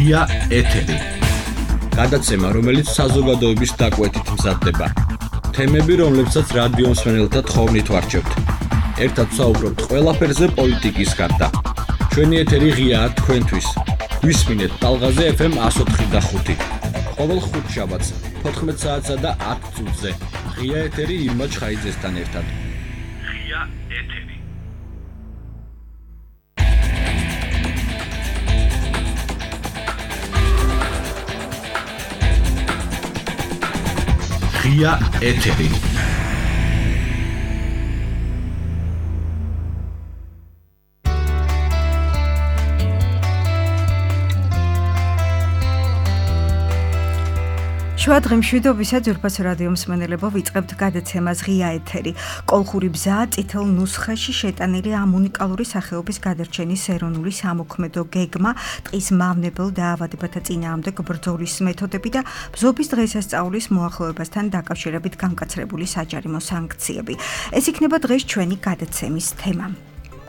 ღია ეთერი. გადაცემა, რომელიც საზოგადოების დაკვეთით მზადდება. თემები, რომლებსაც რადიო მსმენელთა თხოვნით ვარჩევთ. ერთად ვსაუბრობთ ყველაფერზე პოლიტიკის გარდა. ჩვენი ეთერი ღიაა თქვენთვის. გვისმინეთ ტალღაზე FM 104.5. ყოველ ხუთშაბათს 14 საათსა და 10 წუთზე. ღია ეთერი ირმა ჩხაიძესთან ერთად. ღია ეთერი. ღია ეთერი. შუა დღემშვიდობისა ძვირფას რადიო მსმენელებო, ვიწყებთ გადაცემას ღია ეთერი. კოლხური ბზა წითელ ნუსხაში შეტანილი ამ უნიკალური სახეობის გადარჩენის ეროვნული სამოქმედო გეგმა, ტყის მავნებელ დაავადებათა წინააღმდეგ ბრძოლის მეთოდები და ბზობის დღესასწაულის მოახლოებასთან დაკავშირებით განკაცრებული საჯარიმო სანქციები. ეს იქნება დღეს ჩვენი გადაცემის თემა.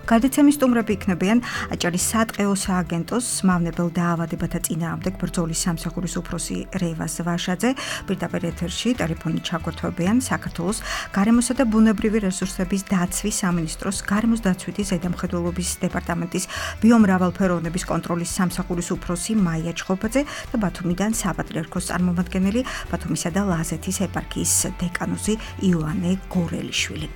გადაცემის სტუმრები იქნებიან აჭარის სატყეო სააგენტოს მავნებელ დაავადებათა წინააღმდეგ ბრძოლის სამსახურის უფროსი რევაზ ვაშაძე, პირდაპირ ეთერში ტელეფონით ჩაგვერთვებიან საქართველოს გარემოსა და ბუნებრივი რესურსების დაცვის სამინისტროს გარემოს დაცვითი ზედამხედველობის დეპარტამენტის ბიომრავალფეროვნების კონტროლის სამსახურის უფროსი მაია ჩხობაძე და ბათუმიდან საპატრიარქოს წარმომადგენელი, ბათუმისა და ლაზეთის ეპარქიის დეკანოზი იოანე გორელიშვილი.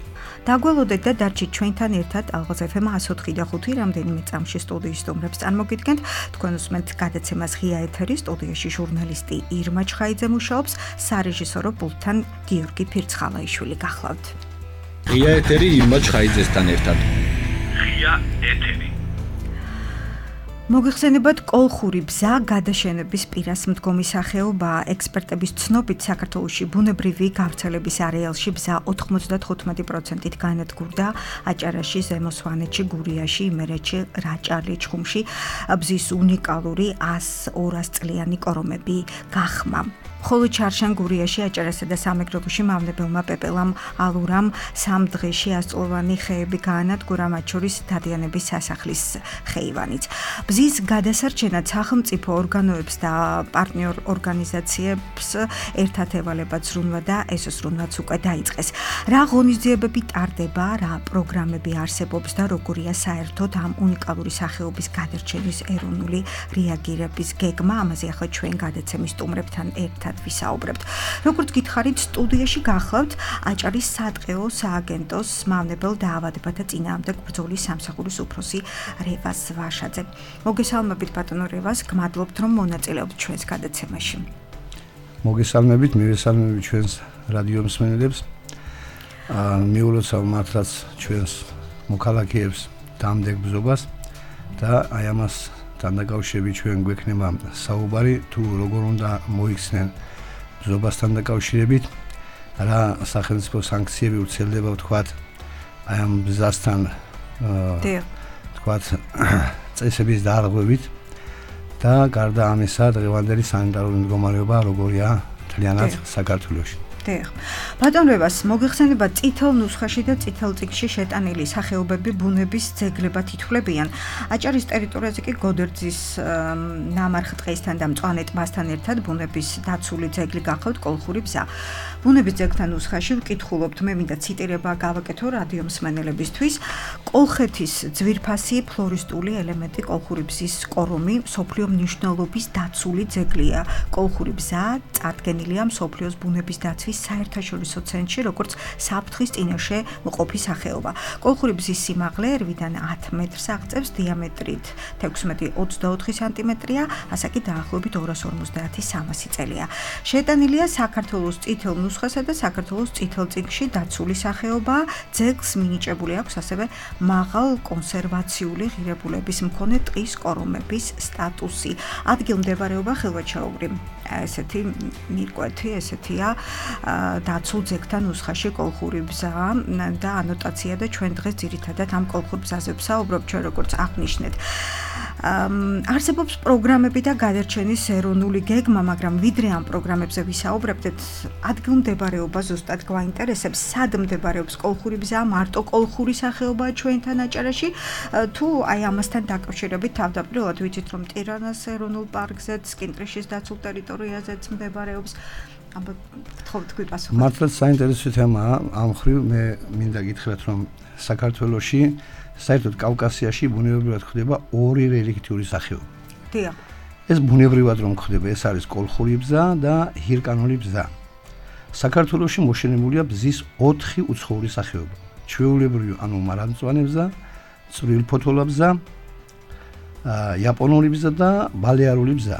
დაგველოდეთ და დარჩით ჩვენთან ერთად ალღაზ FM 104.5 რამდენიმე წამში სტუდიის სტუმრებს წარმოგიდგენთ. თქვენ უსმენთ გადაცემას ღია ეთერი, სტუდიაში ჟურნალისტი ირმა ჩხაიძე მუშაობს, სარეჟისორო პულტთან გიორგი ფირცხალაიშვილი გახლავთ. ღია ეთერი ირმა ჩხაიძესთან ერთად. ღია ეთერი. მოგიხსენებათ, კოლხური ბზა გადაშენების პირას მდგომი სახეობაა. ექსპერტების ცნობით, საქართველოში ბუნებრივი გავრცელების არეალში ბზა 95%-ით განადგურდა. აჭარაში, ზემო სვანეთში, გურიაში, იმერეთში, რაჭალი, ჩხუმში ბზის უნიკალური 100-200 წლიანი კორომები გახმა. ხოლო ჩარშან, გურიაში, აჭარასა და სამეგრელოში მავნებელმა პეპელამ ალურამ 3 დღეში 100 წლოვანი ხეები გაანადგურა, მათ შორის დადიანების სასახლის ხეივანიც. ბზის გადასარჩენად სახელმწიფო ორგანოებს და პარტნიორ ორგანიზაციებს ერთად ევალებათ ზრუნვა და ეს ზრუნვაც უკვე დაიწყეს. რა ღონისძიებები ტარდება, რა პროგრამები არსებობს და როგორია საერთოდ ამ უნიკალური სახეობის გადარჩენის ეროვნული რეაგირების გეგმა, ამაზე ახლა ჩვენ გადაცემის სტუმრებთან ერთად ვისაუბრებთ. როგორც გითხარით, სტუდიაში გახლავთ აჭარის სატყეო სააგენტოს მავნებელ დაავადებათა წინააღმდეგ ბრძოლის სამსახურის უფროსი რევაზ ვაშაძე. მოგესალმებით ბატონო რევაზ, გმადლობთ რომ მონაწილეობთ ჩვენს გადაცემაში. მოგესალმებით, მივესალმებით ჩვენს რადიო მსმენელებს. მიულოცავ მართლაც ჩვენს მოქალაქეებს დამდეგ ბზობას და აი ამას დაკავშირებით ჩვენ გვექნება საუბარი, თუ როგორ უნდა მოიქცნენ ბზობასთან დაკავშირებით, რა სახელმწიფო სანქციები ვრცელდება ვთქვათ აი ამ ბზასთან ვთქვათ წესების დარღვევით და გარდა ამისა დღევანდელი სანიტარული მდგომარეობა როგორია მთლიანად საქართველოში. ბატონ რევაზ, მოგიხსენებათ, წითელ ნუსხაში და წითელ წიგნში შეტანილი სახეობები ბუნების ძეგლებად ითვლებიან. აჭარის ტერიტორიაზე კი გოდერძის ნამარხ ტყესთან და მწვანე ტბასთან ერთად ბუნების დაცული ძეგლი გახლავთ კოლხური ბზა. ბუნების ძეგლთან ნუსხაში ვკითხულობთ, მე მინდა ციტირება გავაკეთო რადიო მსმენელებისთვის. კოლხეთის ძვირფასი ფლორისტული ელემენტი კოლხური ბზის კორომი მსოფლიო მნიშვნელობის დაცული ძეგლია. კოლხური ბზა წარდგენილია მსოფლიოს ბუნების დაცვის საერთაშორისო ცენტრში, როგორც საფრთხის წინაშე მყოფი სახეობა. კოლხური ბზის სიმაღლე 8-დან 10 მეტრს აღწევს, დიამეტრით 16-24 სანტიმეტრია, ასაკი დაახლოებით 250-300 წელია. შეტანილია საქართველოს წითელ ნუსხასა და საქართველოს წითელ წიგნში დაცული სახეობა. ძეგლს მინიჭებული აქვს ასევე მაღალ კონსერვაციული ღირებულების მქონე ტყის კორომების სტატუსი. ადგილმდებარეობა ხელვაჩაუგრი. ესეთი მირკვეთი, ესეთია დაცულ ძეგლთან ნუსხაში კოლხური ბზა და ანოტაცია და ჩვენ დღეს ძირითადად ამ კოლხურ ბზაზე ვსაუბრობთ, ჩვენ როგორც აღნიშნეთ. არსებობს პროგრამები და გადარჩენის ეროვნული გეგმა, მაგრამ ვიდრე ამ პროგრამებზე ვისაუბრებდეთ, ადგილმდებარეობა ზუსტად გვაინტერესებს, სად მდებარეობს კოლხური ბზა, მარტო კოლხური სახეობაა ჩვენთან აჭარაში, თუ აი ამასთან დაკავშირებით თავდაპირველად ვიცით, რომ ტირანას ეროვნულ პარკზეც, კინტრიშის დაცულ ტერიტორიაზეც მდებარეობს. აბა გთხოვთ გვიპასუხოთ. მართლაც საინტერესო თემაა, ამ ხრივ მე მინდა გითხრათ, რომ საქართველოში საერთოდ კავკასიაში ბუნებრივად ხდება ორი რელიქტიური სახეობა. დიახ. ეს ბუნებრივად რომ ხდება, ეს არის კოლხური ბზა და ჰირკანული ბზა. საქართველოში მოშენებულია ბზის 4 უცხოური სახეობა. ჩვეულებრივი, ანუ მარადმწვანე ბზა, წვრილფოთოლა ბზა, იაპონური ბზა და ბალეარული ბზა.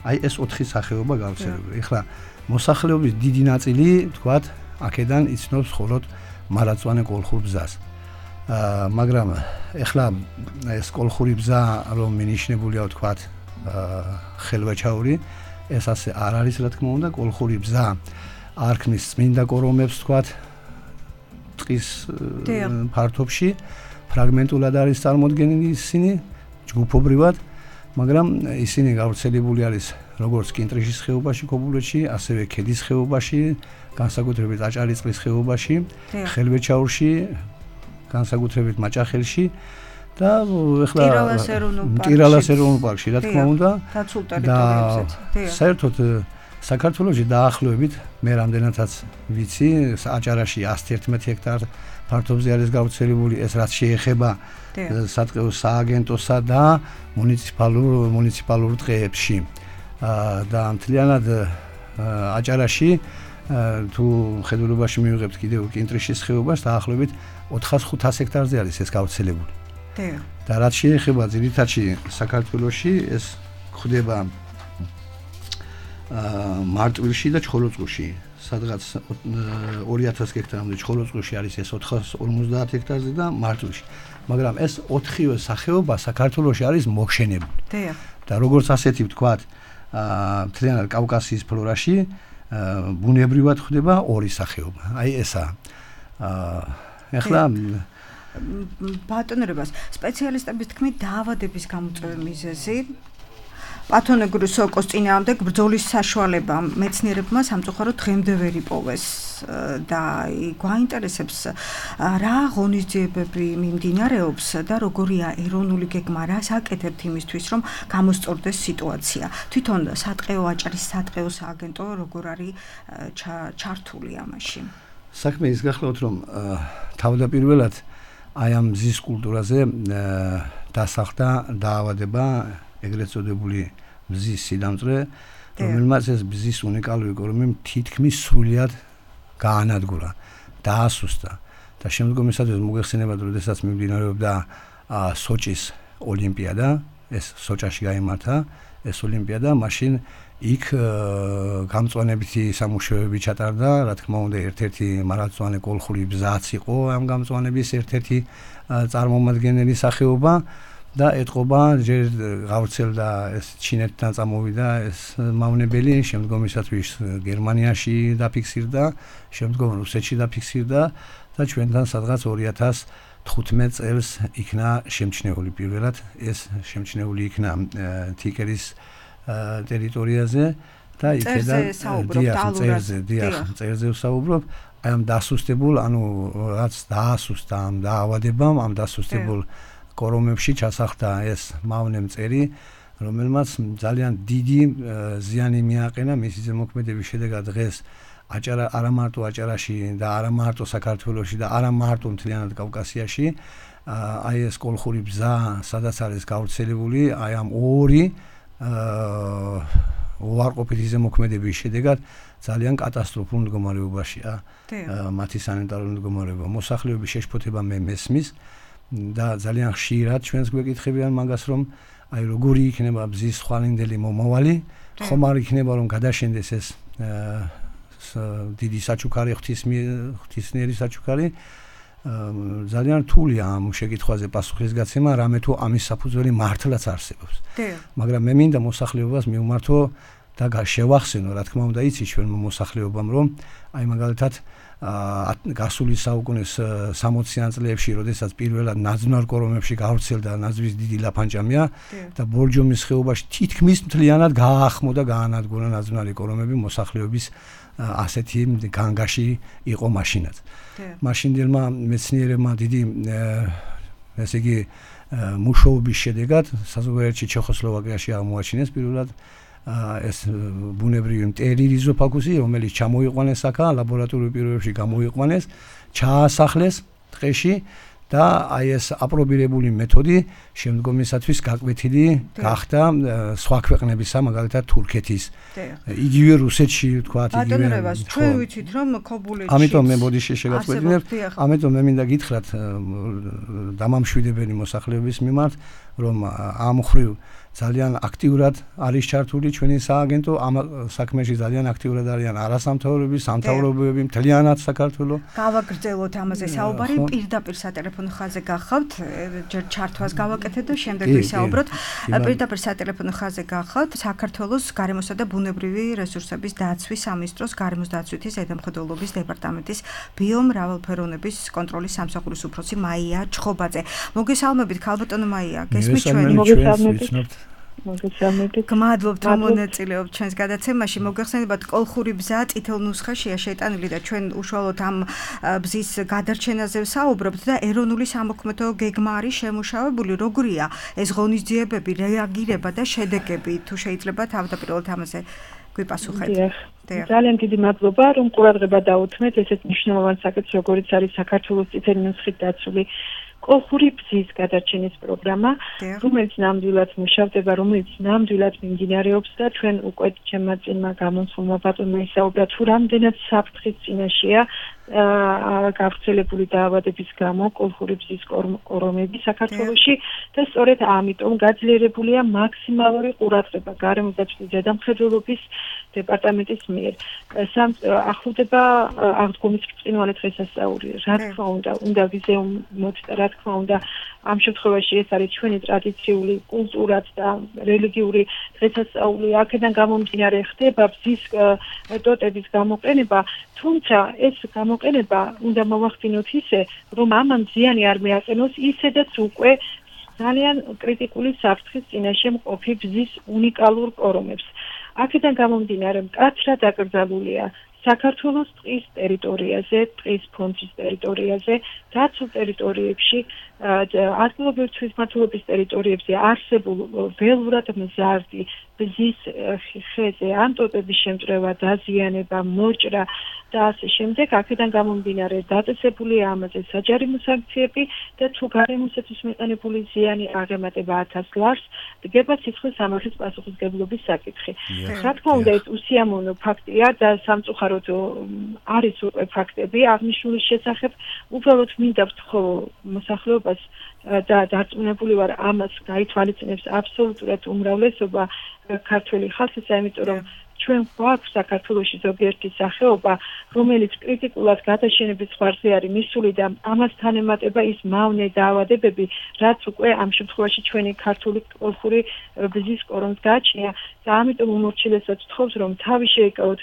აი ეს 4 სახეობა გავრცელებული. ეხლა მოსახლეობის დიდი ნაწილი, თქვათ, აქედან იცნობს მხოლოდ მარადმწვანე კოლხურ ბზას. მაგრამ ეხლა ეს კოლხური ბზა რომ მინიშნებულია, თქვათ, ხელვაჩაური, ეს ასე არ არის, რა თქმა უნდა, კოლხური ბზა არ ქმნის წმინდა კორომებს, თქვათ, ტყის ფართობში, ფრაგმენტულად არის წარმოდგენილი ისინი, ჯგუფობრივად, მაგრამ ისინი გავრცელებული არის როგორც კინტრიშის ხეობაში, ქობულეთში, ასევე ქედის ხეობაში, განსაკუთრებით აჭარისწყლის ხეობაში, ხელვაჩაურში, განსაკუთრებით მაჭახელში და ეხლა ტირალას ეროვნულ პარკში, რა თქმა უნდა, დაცულ ტერიტორიებზეც. საერთოდ საქართველოში დაახლოებით მე რამდენადაც ვიცი, აჭარაში 111 ჰექტარ ფართობზე არის გავრცელებული, ეს რაც შეეხება სატყეო სააგენტოსა და მუნიციპალურ ტყეებში. და მთლიანად აჭარაში თუ ხედულობაში მივიღებთ კიდევ კინტრიშის ხეობას, დაახლოებით 400-500 ჰექტარზე არის ეს გავრცელებული. და რაც შეეხება ძირითადში საქართველოში, ეს ხდება მარტვილში და ჩხოროწყუში, სადღაც 2000 ჰექტარამდე ჩხოროწყუში არის ეს 450 ჰექტარზე და მარტვილში. მაგრამ ეს 4-ვე სახეობა საქართველოში არის მოშენებული. და როგორც ასეთი ვთქვათ, მთლიანად კავკასიის ფლორაში ბუნებრივად ხდება ორი სახეობა. აი ესაა. ეხლა ბატონებას სპეციალისტების თქმით დაავადების გამოწვევის მიზეზი პათონეგური სოკოს წინააღმდეგ ბრძოლის საშუალება მეცნიერებმა სამწუხაროდ დღემდე ვერ იპოვეს და გვაინტერესებს რა ღონისძიებები მიმდინარეობს და როგორია ეროვნული გეგმა, რას აკეთებთ იმისთვის, რომ გამოსწორდეს სიტუაცია. თვითონ სატყეო აჭარის სატყეო სააგენტო როგორ არის ჩართული ამაში? საქმე ის გახლავთ, რომ თავდაპირველად აი ამ მზის კულტურაზე დასახდა დაავადება, ეგრეთ წოდებული მზის სიდამწვე, რომელმაც ეს მზის უნიკალური კორომი თითქმის სრულიად გაანადგურა, დაასუსტა. და შემდგომისათვის მოგეხსენებათ, როდესაც მიმდინარეობდა სოჭის ოლიმპიადა, ეს სოჭაში გაიმართა ეს ოლიმპიადა, მაშინ იქ გამწვანებითი სამუშაოები ჩატარდა, რა თქმა უნდა, ერთ-ერთი მარადმწვანე კოლხური ბზაც იყო ამ გამწვანების ერთ-ერთი წარმომადგენელი სახეობა და ეთყობა ჯერ გავრცელდა ეს ჩინეთთან წამოვიდა ეს მავნებელი, შემდგომისათვის გერმანიაში დაფიქსირდა, შემდგომ რუსეთში დაფიქსირდა და ჩვენთან სადღაც 2015 წელს იქნა შემჩნეული პირველად, ეს შემჩნეული იქნა თიკერის ტერიტორიაზე და იქედან წერზე ვსაუბრობ, აი ამ დასუსტებულ, ანუ რაც დაასუსტა ამ დაავადებამ, ამ დასუსტებულ კორომებში ჩასახდა ეს მავნე მწერი, რომელმაც ძალიან დიდი ზიანი მიაყენა მისი ზემოქმედების შედეგად დღეს არა მარტო აჭარაში და არა მარტო საქართველოში და არა მარტო მთლიანად კავკასიაში აი ეს კოლხური ბზა, სადაც არის გავრცელებული, აი ამ ორი უარყოფითი ზემოქმედების შედეგად ძალიან კატასტროფულ მდგომარეობაშია მათი სანიტარული მდგომარეობა. მოსახლეობის შეშფოთება მე მესმის და ძალიან ხშირად ჩვენს გვეკითხებიან მაგას, რომ აი როგორი იქნება ბზის ხვალინდელი მომავალი, ხომ არ იქნება რომ გადაშენდეს ეს დიდი საჩუქარი, ღვთისმიერი საჩუქარი. ძალიან რთულია ამ შეკითხვაზე პასუხის გაცემა, რამე თუ ამის საფუძველი მართლაც არსებობს. მაგრამ მე მინდა მოსახლეობას მივმართო და შევახსენო, რა თქმა უნდა, იცი ჩვენ მოსახლეობამ, რომ აი მაგალითად გასული საუკუნის 60-იან წლებში, როდესაც პირველად ნაძვნარ კორომებში გავრცელდა ნაძვის დიდი ლაფანჭამია და ბორჯომის ხეობაში თითქმის მთლიანად გააახმოდა, გაანადგურა ნაძვნარი კორომები მოსახლეობის ასეთი განგაში იყო მაშინაც. მაშინდელმა მეცნიერებმა დიდი ესე იგი მუშაობის შედეგად საზღვარგარეთში ჩეხოსლოვაკიაში აღმოაჩინეს პირველად ეს ბუნებრივი მტერი რიზოფაგუსი, რომელიც ჩამოიყვანეს აქა ლაბორატორიულ პირობებში გამოიყვანეს, ჩაასახლეს ტყეში და აი ეს აპრობირებული მეთოდი შემდგომისათვის გაკვეთილი გახდა სხვა ქვეყნებისა, მაგალითად თურქეთის, იგივე რუსეთში, თქვათ, იგივე. ბატონრებას ჩვენ ვიცით რომ ქობულეთში. ამიტომ მე ბოდიში შეგაწყვეტინებ, ამიტომ მე მინდა გითხრათ დამამშვიდებელი მოსახლეობის მიმართ, რომ ამ ხრივ ძალიან აქტიურად არის ჩართული ჩვენი სააგენტო, ამ საქმეში ძალიან აქტიურად არიან არასამთავრობო სამთავრობოები მთლიანად საქართველოს. გავაგრძელოთ ამაზე საუბარი, პირდაპირ სატელეფონო ხაზზე გახავთ, ჯერ ჩართვას გავაკეთეთ და შემდეგ ვისაუბროთ. პირდაპირ სატელეფონო ხაზზე გახავთ საქართველოს გარემოსა და ბუნებრივი რესურსების დაცვის სამინისტროს გარემოს დაცვითი ზედამხედველობის დეპარტამენტის ბიომრავალფეროვნების კონტროლის სამსახურის უფროსი მაია ჩხობაძე. მოგესალმებით, ქალბატონო მაია, გესმით ჩვენი? გმადლობთ რომ მონაწილეობთ ჩვენს გადაცემაში. მოგეხსენებათ, კოლხური ბზა წითელ ნუსხაშია შეტანილი და ჩვენ უშუალოდ ამ ბზის გადარჩენაზე ვსაუბრობთ და ეროვნული სამოქმედო გეგმა არის შემუშავებული. როგორია ეს ღონისძიებები, რეაგირება და შედეგები? თუ შეიძლება თავდაპირველად ამაზე გვიპასუხეთ. ძალიან დიდი მადლობა, რომ ყურადღება დაუთმეთ ესეთ მნიშვნელოვან საკითხს, როგორიც არის საქართველოს წითელი ნუსხით დაცული კოლხური ბზის გადარჩენის პროგრამა, რომელიც ნამდვილად მუშავდება, რომელიც ნამდვილად მიმდინარეობს და ჩვენ უკვე ჩემმა წინმა გამოსულმა ბატონმა ისაუბრა, თუ რამდენად საფრთხის წინაშეა გავრცელებული დაავადების გამო კოლხური ბზის კორომები საქართველოში და სწორედ ამიტომ გაძლიერებულია მაქსიმალური ყურადღება გარემოს დაცვის ზედამხედველობის დეპარტამენტის მიერ. ახლდება აღდგომის ბრწყინვალე დღესასწაული. რა თქმა უნდა ვიზეუმოთ და რა თქმა უნდა ამ შემთხვევაში ეს არის ჩვენი ტრადიციული კულტურად და რელიგიური დღესასწაული. აქედან გამომდინარე ხდება ბზის ტოტების გამოყენება, თუმცა ეს გამოყენება უნდა მოვახდინოთ ისე, რომ ამან ზიანი არ მეაყენოს ისედაც უკვე ძალიან კრიტიკული საფრთხის წინაშე მყოფი ბზის უნიკალურ კორომებს. აქედან გამომდინარე მკაცრად აკრძალულია საქართველოს ტყის ტერიტორიაზე, ტყის ფონდის ტერიტორიაზე, დაცულ ტერიტორიებში, ადგილობრივი თვითმმართველობის ტერიტორიებზე არსებულ ველურად მზარდი ბზის ხეზე ან ტოტების შემწრევა, დაზიანება, მოჭრა და ასე შემდეგ. აქედან გამომდინარე დაწესებულია ამაზე საჯარიმო სანქციები და თუ გარემოსთვის მიყენებული ზიანი აღემატება 1000 ლარს, დგება სიცხლის სამართლის პასუხისმგებლობის საკითხი. რა თქმა უნდა, ეს უსიამოვნო ფაქტია და სამწუხაროდ არის უკვე ფაქტები აღნიშნულის შესახებ. უბრალოდ მინდა ვთქო მოსახლეობას და დარწმუნებული ვარ, ამას გაითვალისწინებს აბსოლუტურად უმრავლესობა ქართველი ხალხისა, იმიტომ რომ ჩვენ გვაქვს საქართველოში ზოგიერთი სახეობა, რომელიც კრიტიკულად გადაშენების ზღვარზე არის მისული და ამასთან ემატება ის მავნე დაავადებები, რაც უკვე ამ შემთხვევაში ჩვენი ქართული კოლხური ბზის კორომს გააჩნია და ამიტომ უმორჩილესად ვთხოვს, რომ თავი შეიკავოთ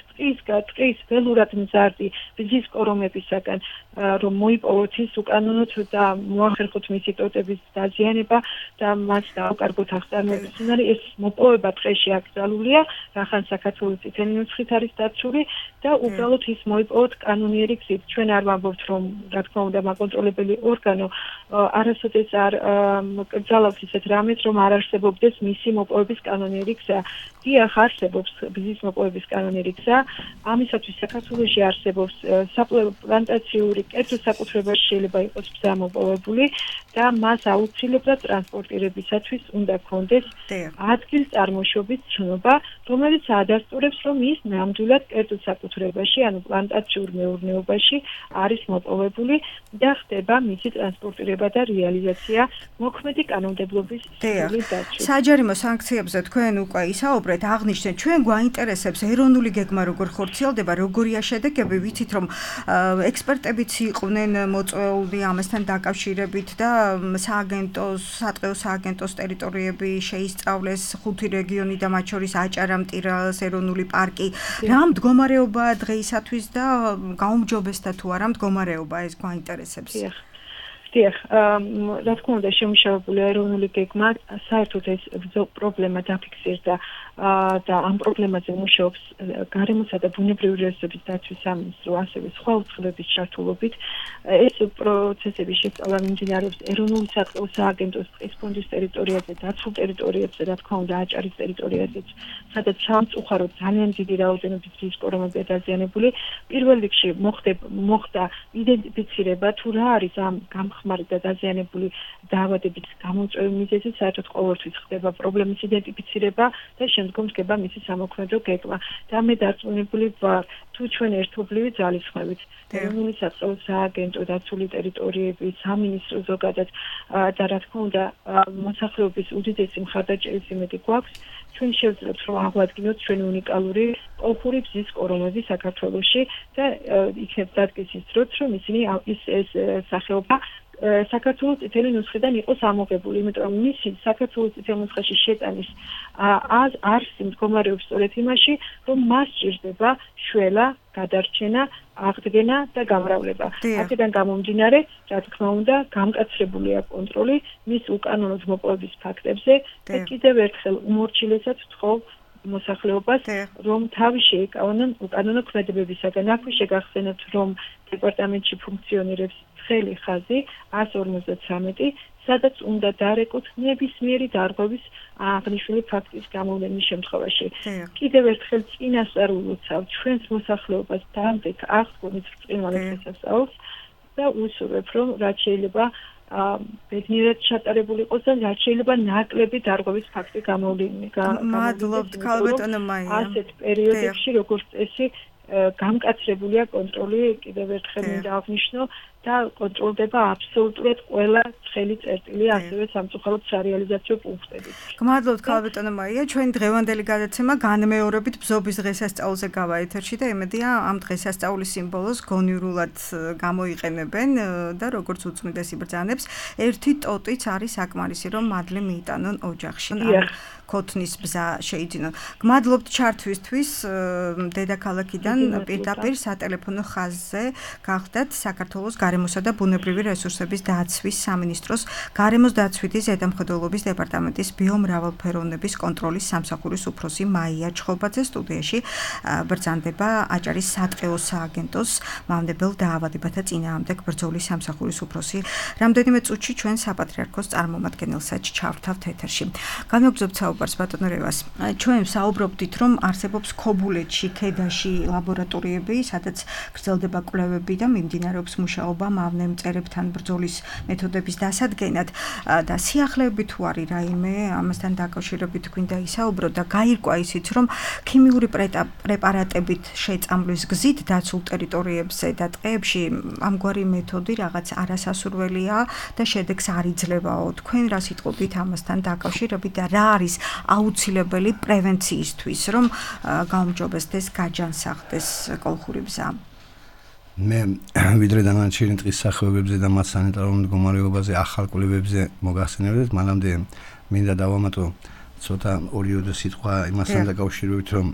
ტყის ველურად მზარდი ბზის კორომებისაგან, რომ მოიპოვოთ ის უკანონოდ და მოახერხოთ მისი ტოტების დაზიანება და მას დაუკარგოთ აღწარმოების უნარი. ეს მოპოვება ტყეში აკრძალულია, რახან საქართველოს წითელი ნუსხით არის დაცული და უბრალოდ ის მოიპოვოთ კანონიერი გზით. ჩვენ არ ვამბობთ, რომ რა თქმა უნდა მაკონტროლებელი ორგანო არასოდეს არ კრძალავს ისეთ რამეს, რომ არ არსებობდეს მისი მოპოვების კანონიერი გზა. დიახ, არსებობს ბზის მოპოვების კანონიერი გზა. ამისათვის საქართველოში არსებობს საპლანტაციური კერძო საკუთრებაში შეიძლება იყოს ბზა მოპოვებული და მას აუცილებლად ტრანსპორტირებისათვის უნდა ჰქონდეს ადგილ წარმოშობის ცნობა, რომელიც ადასტურებს, რომ ის ნამდვილად კერძო საკუთრებაში, ანუ პლანტაციურ მეურნეობაში არის მოპოვებული და ხდება მისი ტრანსპორტირება და რეალიზაცია მოქმედი კანონმდებლობის სრული დაცვით. საჯარიმო სანქციებზე თქვენ უკვე ისაუბრეთ, აღნიშნეთ, ჩვენ გვაინტერესებს ეროვნული გეგმა როგორ ხორციელდება, როგორია შედეგები, ვიცით რომ ექსპერტებიც იყვნენ მოწვეული ამასთან დაკავშირებით და სატყეო სააგენტოს ტერიტორიები შეისწავლეს 5 რეგიონი და მათ შორის აჭარა, მტირას, ეროვნული ეროვნული პარკი. რა მდგომარეობაა დღეისათვის და გაუმჯობესდა თუ არა მდგომარეობა ეს გვაინტერესებს. დიახ, რა თქმა უნდა შემუშავებული ეროვნული გეგმა საერთოდ ეს პრობლემა დაფიქსირდა და ამ პრობლემაზე მუშაობს გარემოსა და ბუნებრივი რესურსების დაცვის სამინისტრო, ასევე სხვა უწყებების ჩართულობით. ეს პროცესები შესწავლა მიმდინარეობს ეროვნული საწყლო სააგენტოს ტყის ფონდის ტერიტორიაზე, დაცულ ტერიტორიებზე, რა თქმა უნდა აჭარის ტერიტორიაზეც, სადაც სამწუხაროდ ძალიან დიდი რაოდენობით რის კორომებია დაზიანებული. პირველ რიგში მოხდა იდენტიფიცირება თუ რა არის ამ გამხმარი და დაზიანებული დაავადების გამომწვევი მიზეზი, საერთოდ ყოველთვის ხდება პრობლემის იდენტიფიცირება და შემდგომ დგება მისი სამოქმედო გეგმა. და მე დარწმუნებული ვარ, თუ ჩვენ ერთობლივი ძალისხმევით, ეროვნული საწყლო სააგენტო, დაცული ტერიტორიები, სამინისტრო ზოგადად და რა თქმა უნდა მოსახლეობის უდიდესი მხარდაჭერის იმედი გვაქვს, ჩვენ შევძლებთ რომ აღვადგინოთ ჩვენი უნიკალური კოლხური ბზის კორომები საქართველოში და იქნებ დადგეს ის დროც, რომ ისინი ეს სახეობა საქართველოს წითელი ნუსხიდან იყოს ამოღებული, იმიტომ რომ მისი საქართველოს წითელ ნუსხაში შეტანის არსი მდგომარეობს სწორედ იმაში, რომ მას სჭირდება შველა, გადარჩენა, აღდგენა და გამრავლება. აქედან გამომდინარე, რა თქმა უნდა, გამკაცრებულია კონტროლი მის უკანონოდ მოპოვების ფაქტებზე და კიდევ ერთხელ უმორჩილესად ვთხოვ მოსახლეობას, რომ თავი შეეკავონ უკანონო ქმედებებისაგან. აქვე შეგახსენებთ, რომ დეპარტამენტში ფუნქციონირებს ცხელი ხაზი 153, სადაც უნდა დარეკოთ ნებისმიერი დარღვევის აღნიშნული ფაქტის გამოვლენის შემთხვევაში. კიდევ ერთხელ წინასწარ ულოცავ ჩვენს მოსახლეობას დამდეგ აღდგომით ბრწყინვალე დღესასწაულს და უსურვებ, რომ რაც შეიძლება ბედნიერად ჩატარებული იყოს და რაც შეიძლება ნაკლები დარღვევის ფაქტი გამოვლენა. მადლობთ ქალბატონო მაია. ასეთ პერიოდებში როგორც წესი გამკაცრებულია კონტროლი, კიდევ ერთხელ მინდა აღნიშნო და კონტროლდება აბსოლუტურად ყველა ცხელი წერტილი, ასევე სამწუხაროდ სარეალიზაციო პუნქტები. გმადლობთ ქალბატონო მაია, ჩვენი დღევანდელი გადაცემა განმეორებით ბზობის დღესასწაულზე გავა ეთერში და იმედია ამ დღესასწაულის სიმბოლოს გონივრულად გამოიყენებენ და როგორც უწმიდეს იბრძანებს, ერთი ტოტიც არის საკმარისი, რომ მადლი მიიტანონ ოჯახში. ქოთნის ბზა შეიძინონ. გმადლობთ ჩართვისთვის დედაქალაქიდან პირდაპირ სატელეფონო ხაზზე გახდათ საქართველოს გარემოსა და ბუნებრივი რესურსების დაცვის სამინისტროს გარემოს დაცვითი ზედამხედველობის დეპარტამენტის ბიომრავალფეროვნების კონტროლის სამსახურის უფროსი მაია ჩხობაძე. სტუდიაში ბრძანდება აჭარის სატყეო სააგენტოს მამდებელ დაავადებათა წინააღმდეგ ბრძოლის სამსახურის უფროსი. რამდენიმე წუთში ჩვენ საპატრიარქოს წარმომადგენელსაც ჩავთავთ ეთერში. განვაგრძობთ საუბარს ბატონო რევას. ჩვენ საუბრობდით, რომ არსებობს ქობულეთში, ქედაში ლაბორატორიები, სადაც გრძელდება კვლევები და მიმდინარეობს მუშაობა მავნე მწერებთან ბრძოლის მეთოდების დასადგენად და სიახლეები თუ არის რაიმე ამასთან დაკავშირებით გვინდა ისაუბრო და გაირკვა ისიც, რომ ქიმიური პრეპარატებით შეწამვლის გზით დაცულ ტერიტორიებზე და ტყეებში ამგვარი მეთოდი რაღაც არასასურველია და შედეგს არ იძლევაო. თქვენ რა სიტყვებით ამასთან დაკავშირებით და რა არის აუცილებელი პრევენციისთვის, რომ გაუმჯობესდეს, გაჯანსაღდეს კოლხური ბზა? მე ვიდრე დანარჩენი ტყის სახეობებზე და მათ სანიტარულ მდგომარეობაზე ახალ კვლევებზე მოგახსენებდეთ, მანამდე მინდა დავამატო ცოტა ორიოდე სიტყვა იმასთან დაკავშირებით, რომ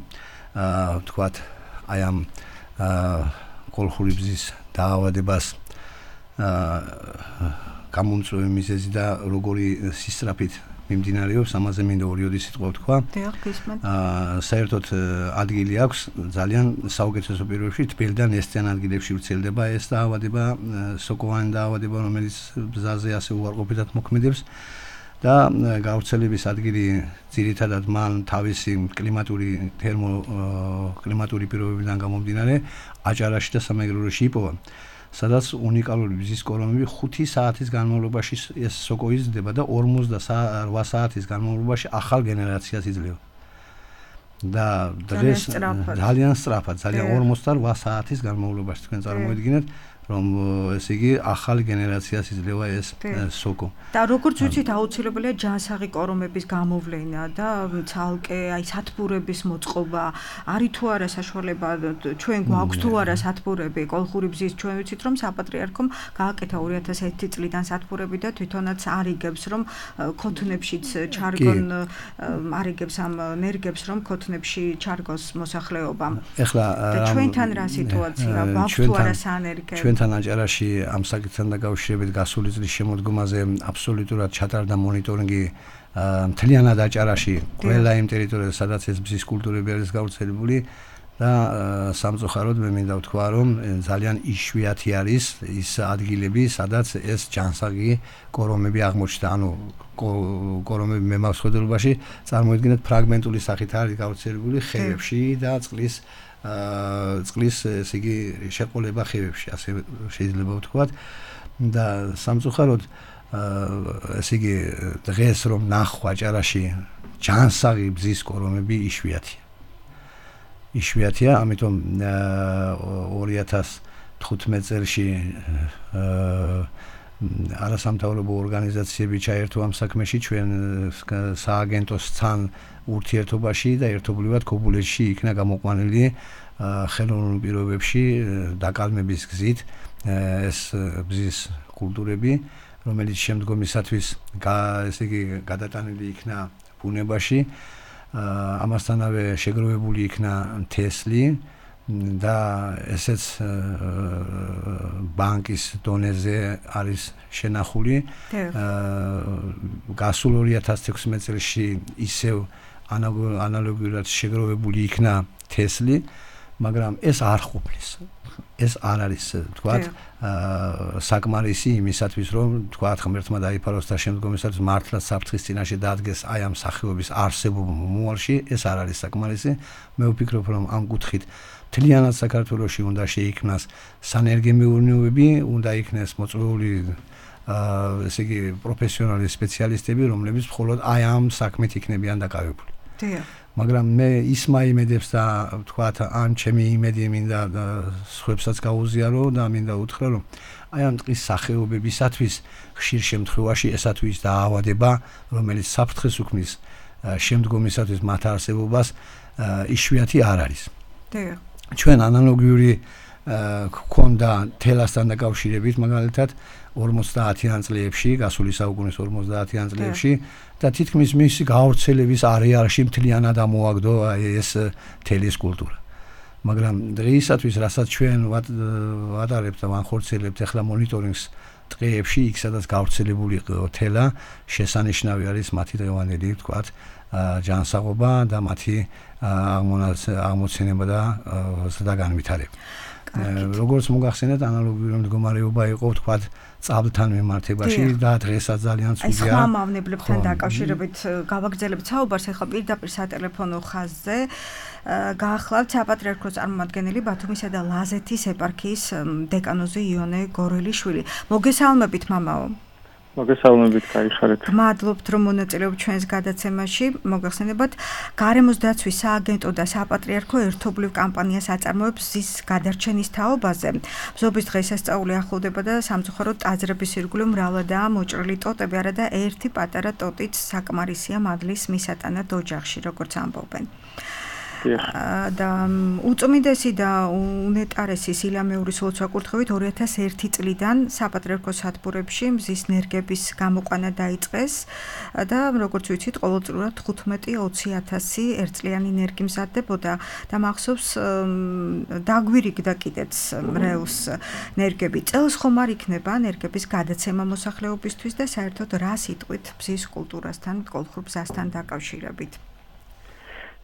ვთქვათ, აი ამ კოლხური ბზის დაავადებას გამომწვევი მიზეზი და როგორი სისწრაფით მიმდინარეობს, ამაზე მინდა ორიოდი სიტყვა ვთქვა. საერთოდ ადგილი აქვს ძალიან საუკეთესო პირობებში, თბილ და ნესტიან ადგილებში ვრცელდება ეს დაავადება, სოკოვანი დაავადება, რომელიც ბზაზე ასე უარყოფითად მოქმედებს და გავრცელების ადგილი ძირითადად მან თავისი კლიმატური პირობებიდან გამომდინარე აჭარაში და სამეგრელოში იპოვა, სადაც უნიკალური ბზის კორომები 5 საათის განმავლობაში ეს სოკო იზრდება და 48 საათის განმავლობაში ახალ გენერაციას იძლევა. და დღეს ძალიან სწრაფად, ძალიან 48 საათის განმავლობაში თქვენ წარმოიდგინეთ, რომ ესე იგი ახალი გენერაციას იძლევა ეს სოკო. და როგორც ვიცით, აუცილებელია ჯანსაღი კორომების გამოვლენა და ცალკე აი სათბურების მოწყობა, არის თუ არა საშუალება ჩვენ გვაქვს თუ არა სათბურები კოლხური ბზის, ჩვენ ვიცით რომ საპატრიარქომ გააკეთა 2001 წლიდან სათბურები და თვითონაც არიგებს რომ ქოთნებშიც ჩარგონ არიგებს ამ ნერგებს რომ ქოთნებში ჩარგოს მოსახლეობა. ეხლა ჩვენთან რა სიტუაცია გვაქვს თუ არა საანერგე? ჩვენთან აჭარაში ამ საკითხთან დაკავშირებით გასული წლის შემოდგომაზე აბსოლუტურად ჩატარდა მონიტორინგი მთლიანად აჭარაში ყველა იმ ტერიტორიაზე სადაც ეს ბზის კულტურები არის გავრცელებული და სამწუხაროდ მე მინდა ვთქვა რომ ძალიან იშვიათი არის ის ადგილები სადაც ეს ჯანსაღი კორომები აღმოჩნდა ანუ კორომები მემავსხვედრობაში წარმოიდგინეთ ფრაგმენტული სახით არის გავრცელებული ხევებში და წყლის ესე იგი შეყოლება ხევებში ასე შეიძლება ვთქვათ და სამწუხაროდ ესე იგი დღეს რომ ნახვა აჭარაში ჯანსაღი ბზის კორომები იშვიათია, ამიტომ 2015 წელში არასამთავრობო ორგანიზაციები ჩაერთო ამ საქმეში ჩვენ სააგენტოს თან ურთიერთობაში და ერთობლივად ქობულეთში იქნა გამოყვანილი ხელოვნურ პირობებში დაკალმების გზით ეს ბზის კულტურები რომელიც შემდგომისათვის ესე იგი გადატანილი იქნა ბუნებაში ამასთანავე შეგროვებული იქნა თესლი და ესეც ბანკის დონეზე არის შენახული გასულ 2016 წელში ისევ ანალოგიურად შეგროვებული იქნა თესლი მაგრამ ეს არ ყოფნის ეს არ არის თქვათ საკმარისი იმისათვის რომ თქვათ ღმერთმა დაიფაროს და შემდგომისათვის მართლაც საფრთხის წინაშე დადგეს აი ამ სახეობის არსებობა მომავალში ეს არ არის საკმარისი მე ვფიქრობ რომ ამ კუთხით მთლიანად საქართველოში უნდა შეიქმნას სანერგე მეურნეობები უნდა იქნეს მოწვეული ესე იგი პროფესიონალი სპეციალისტები რომლებიც მხოლოდ აი ამ საქმით იქნებიან დაკავებული მაგრამ მე ის მაიმედებს და ვთქვათ ან ჩემი იმედი მინდა სხვებსაც გაუზიარო და მინდა უთხრა რომ აი ამ ტყის სახეობებისათვის ხშირ შემთხვევაში ესათვის დაავადება რომელიც საფრთხეს უქმნის შემდგომისათვის მათ არსებობას იშვიათი არ არის ჩვენ ანალოგიური გქონდა თელასთან დაკავშირებით მაგალითად 50-იან წლებში გასული საუკუნის 50-იან წლებში და თითქმის მისი გავრცელების არეალში მთლიანად ამოაგდო ეს თელის კულტურა მაგრამ დღეისათვის რასაც ჩვენ ვატარებთ და ვახორციელებთ ახლა მონიტორინგს ტყეებში იქ სადაც გავრცელებული თელა შესანიშნავი არის მათი დღევანდელი ვთქვათ ჯანსაღობა და მათი აღმოცენება და ზრდაგანვითარება როგორც მოგახსენეთ ანალოგიური მდგომარეობა იყო ვთქვათ წაბლთან მიმართებაში და დღესაც ძალიან ცუდია. ეს სხვა მავნებლებთან დაკავშირებით გავაგრძელებთ საუბარს ახლა პირდაპირ სატელეფონო ხაზზე. გაახლავთ საპატრიარქოს წარმომადგენელი ბათუმისა და ლაზეთის ეპარქიის დეკანოზი იონე გორელიშვილი. მოგესალმებით მამაო. მოგესალმებით, გაიხარეთ. მადლობთ რომ მონაწილეობთ ჩვენს გადაცემაში. მოგახსენებათ, გარემოს დაცვის სააგენტო და საპატრიარქო ერთობლივ კამპანიას აწარმოებს ზის გადარჩენის თაობაზე. ბზობის დღესასწაული ახლოვდება და სამწუხაროდ ტაძრების ირგვლივ მრავლადაა მოჭრილი ტოტები, არადა ერთი პატარა ტოტიც საკმარისია მადლის მისატანად ოჯახში, როგორც ამბობენ. და უწმიდესი და უნეტარესი სილამეურის ლოცვა-კურთხევით 2001 წლიდან საპატრიარქოს სათბურებში მზის ნერგების გამოყვანა დაიწყეს და როგორც ვიცით ყოველწლიურად 15-20,000 ერთწლიანი ნერგი მზადდებოდა და მახსოვს დაგვირიგდა კიდეც მრევლს ნერგები. წელს ხომ არ იქნება ნერგების გადაცემა მოსახლეობისთვის და საერთოდ რა სიტყვით ბზის კულტურასთან, კოლხურ ბზასთან დაკავშირებით?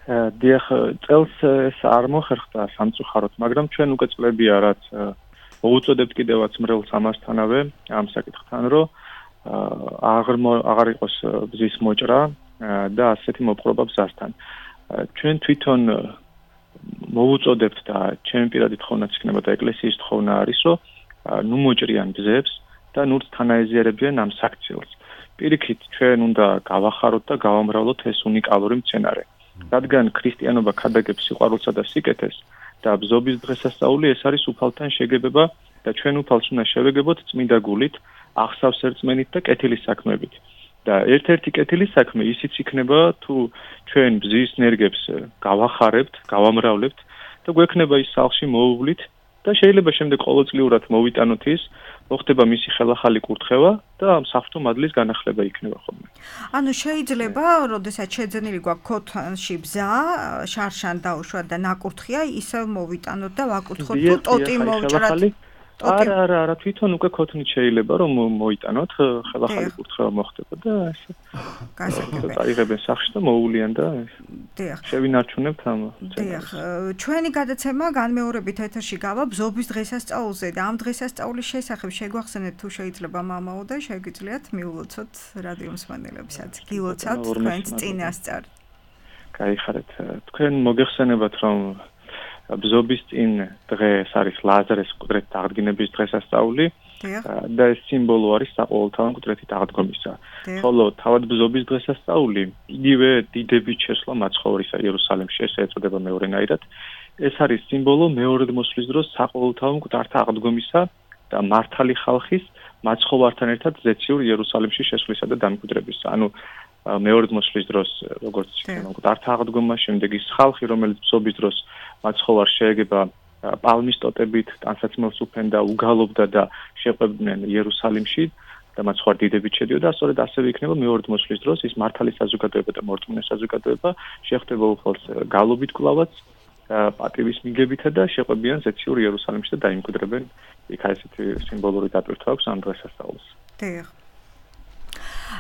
დიახ, წელს ეს არ მოხერხდა სამწუხაროდ, მაგრამ ჩვენ უკვე წლებია, რაც მოუწოდებთ კიდევაც მრევლს ამასთანავე ამ საკითხთან, რომ აღარ იყოს ბზის მოჭრა და ასეთი მოპყრობა ბზასთან. ჩვენ თვითონ მოუწოდებთ და ჩემი პირადი თხოვნაც იქნება და ეკლესიის თხოვნა არის, რომ ნუ მოჭრიან ბზებს და ნურც თანაეზიარებიან ამ საქციელს. პირიქით, ჩვენ უნდა გავახაროთ და გავამრავლოთ ეს უნიკალური მცენარე. რადგან ქრისტიანობა ქადაგებს სიყვარულსა და სიკეთეს და ბზობის დღესასწაული ეს არის უფალთან შეგებება და და ჩვენ უფალს უნდა შევეგებოთ წმინდა გულით, აღსავს ერწმენით და კეთილის საქმეებით. და ერთ-ერთი კეთილის საქმე ისიც იქნება, თუ ჩვენ ბზის ნერგებს გავახარებთ, გავამრავლებთ და გვექნება ის სახლში მოუვლით და შეიძლება შემდეგ ყოველწლიურად მოვიტანოთ ის, მოხდება მისი ხელახალი კურთხევა და ამ საფრთხო მადლის განახლება იქნება ხოლმე. ანუ შეიძლება, როდესაც შეძენილი გვაქვს ქოთანში ბზა, შარშან დაუშვათ და ნაკურთხია, ისევ მოვიტანოთ და ვაკურთხოთ თუ ტოტი მოვჭრათ. არა, თვითონ უკვე ქოთნით შეიძლება რომ მოიტანოთ, ხელახალი კურთხევა მოხდება და ესე. გასაგებია. წაიღებენ სახლში და მოუვლიან და შევინარჩუნებთ ამ. დიახ, ჩვენი გადაცემა განმეორებით ეთერში გავა ბზობის დღესასწაულზე და ამ დღესასწაულის შესახებ შეგვახსენეთ თუ შეიძლება მამაო და შეგიძლიათ მიულოცოთ რადიო მსმენელებსაც. გილოცავთ თქვენს წინასწარ. გაიხარეთ. თქვენ მოგეხსენებათ რომ ბზობის წინ დღეს არის ლაზარეს მკვდრით აღდგენების დღესასწაული და ეს სიმბოლო არის საყოველთაო მკვდრით აღდგომისა. ხოლო თავად ბზობის დღესასწაული იგივე დიდებით შესვლა მაცხოვრისა იერუსალიმში, ეს ეწოდება მეორენაირად. ეს არის სიმბოლო მეორედ მოსვლის დროს საყოველთაო მკვდართა აღდგომისა და მართალი ხალხის მაცხოვართან ერთად ზეციურ იერუსალიმში შესვლისა და დამკვიდრებისა. ანუ მეორე მოსვლის დროს როგორც მკვდართა აღდგომა, შემდეგ ის ხალხი, რომელიც ბზობის დროს მაცხოვარს შეეგება პალმის ტოტებით, ტანსაცმელს უფენდა, უგალობდა და შეყვებდნენ იერუსალიმში და მაცხოვარ დიდებით შედიოდა, სწორედ ასევე იქნება მეორე მოსვლის დროს ის მართალი საზოგადოება და მორწმუნე საზოგადოება შეხვდება უფალს გალობით კლავაც, პატივის მიგებითა და შეყვებიან ზეციურ იერუსალიმში და დაიმკვიდრებენ. იქ ესეთი სიმბოლური დატვირთვა აქვს ამ დღესასწაულს. დიახ.